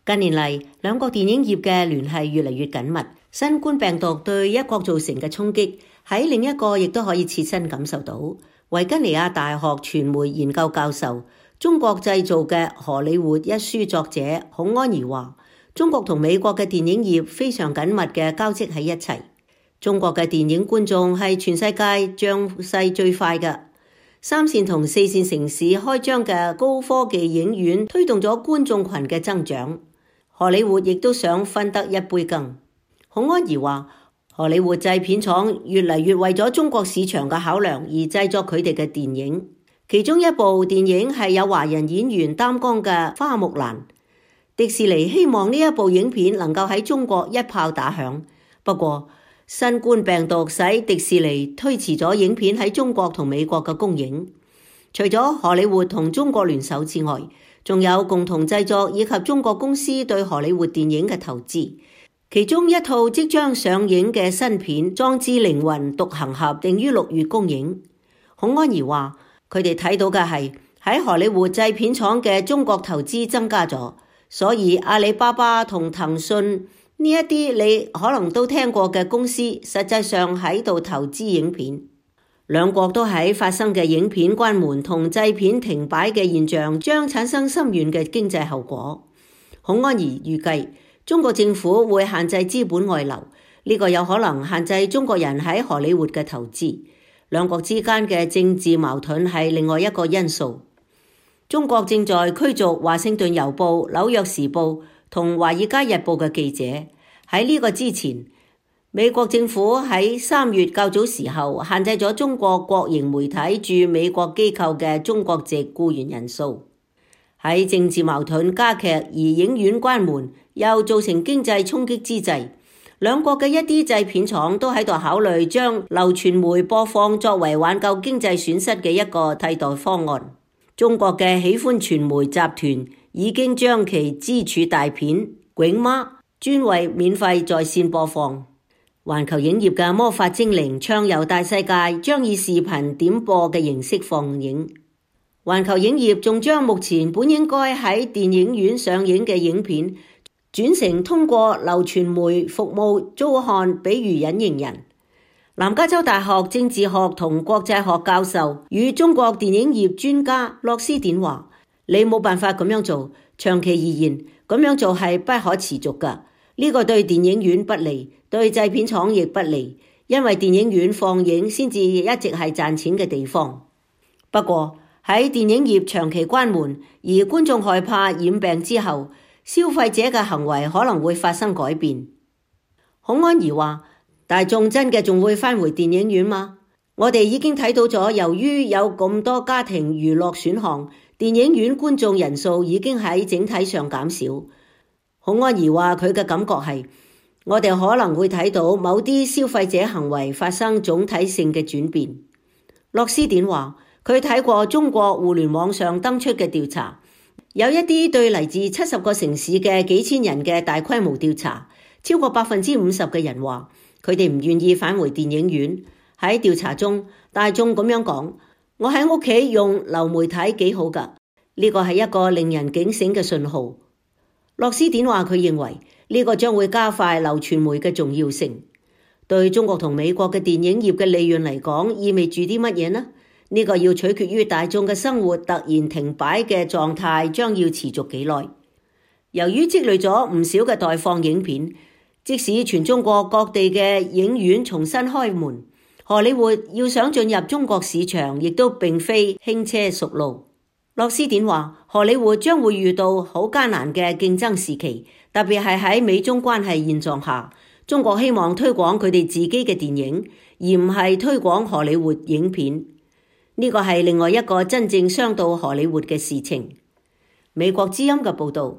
近年嚟，兩國電影業嘅聯繫越嚟越緊密。新冠病毒對一國造成嘅衝擊，喺另一個亦都可以切身感受到。維吉尼亞大學傳媒研究教授、中國製造嘅荷里活一書作者孔安儀話，中國同美國嘅電影業非常緊密嘅交織喺一齊。中國嘅電影觀眾係全世界漲勢最快嘅。三線同四線城市開張嘅高科技影院推動咗觀眾群嘅增長。荷里活亦都想分得一杯羹。孔安儀話，荷里活製片廠越嚟越為咗中國市場嘅考量而製作佢哋嘅電影，其中一部電影係有華人演員擔綱嘅《花木蘭》。迪士尼希望呢一部影片能夠喺中國一炮打響，不過新冠病毒使迪士尼推遲咗影片喺中國同美國嘅公映。除咗荷里活同中國聯手之外，仲有共同製作以及中國公司對荷里活電影嘅投資。其中一套即將上映嘅新片《壯志凌雲獨行俠》定於6月公映。孔安儀話，佢哋睇到嘅係喺荷里活製片廠嘅中國投資增加咗，所以阿里巴巴同騰訊呢一啲你可能都聽過嘅公司，實際上喺度投資影片。兩國都喺發生嘅影片關門同製片停擺嘅現象，將產生深遠嘅經濟後果。孔安儀預計，中國政府會限制資本外流，呢個有可能限制中國人喺荷里活嘅投資。兩國之間嘅政治矛盾係另外一個因素。中國正在驅逐華盛頓郵報、紐約時報同華爾街日報嘅記者。喺呢個之前，美國政府喺3月較早時候限制咗中國國營媒體駐美國機構嘅中國籍僱員人數。喺政治矛盾加劇而影院關門又造成經濟衝擊之際，兩國嘅一啲製片廠都喺度考慮將流傳媒播放作為挽救經濟損失嘅一個替代方案。中國嘅喜歡傳媒集團已經將其支柱大片《囧媽》專為免費在線播放。環球影業嘅《魔法精靈》暢遊大世界將以視頻點播嘅形式放映。環球影業仲將目前本應該喺電影院上映嘅影片轉成通過流傳媒服務租看，比如隱形人。南加州大學政治學同國際學教授與中國電影業專家洛斯典話，你冇辦法咁樣做，長期而言咁樣做係不可持續㗎。呢個對電影院不利，對製片廠亦不利，因為電影院放映先至一直係賺錢嘅地方。不過喺電影業長期關門，而觀眾害怕染病之後，消費者嘅行為可能會發生改變。孔安儀話，大眾真嘅仲會返回電影院嗎？我哋已經睇到咗，由於有咁多家庭娛樂選項，電影院觀眾人數已經喺整體上減少。孔安儀話，佢嘅感覺係，我哋可能會睇到某啲消費者行為發生總體性嘅轉變。洛斯典話，佢睇過中國互聯網上登出嘅調查，有一啲對嚟自70個城市嘅幾千人嘅大規模調查，超過50%嘅人話，佢哋唔願意返回電影院。喺調查中，大眾咁樣講，我喺屋企用流媒體幾好㗎，呢個係一個令人警醒嘅信號。洛斯典話，佢認為呢個將會加快流傳媒嘅重要性。對中國同美國嘅電影業嘅利潤嚟講，意味住啲乜嘢呢？呢個要取決於大眾嘅生活突然停擺嘅狀態將要持續幾耐。由於積累咗唔少嘅待放影片，即使全中國各地嘅影院重新開門，荷里活要想進入中國市場，亦都並非輕車熟路。洛斯典話，荷里活將會遇到好艱難嘅競爭時期，特別係喺美中關係現狀下，中國希望推廣佢哋自己嘅電影，而唔係推廣荷里活影片。呢個係另外一個真正傷到荷里活嘅事情。美國之音嘅報導。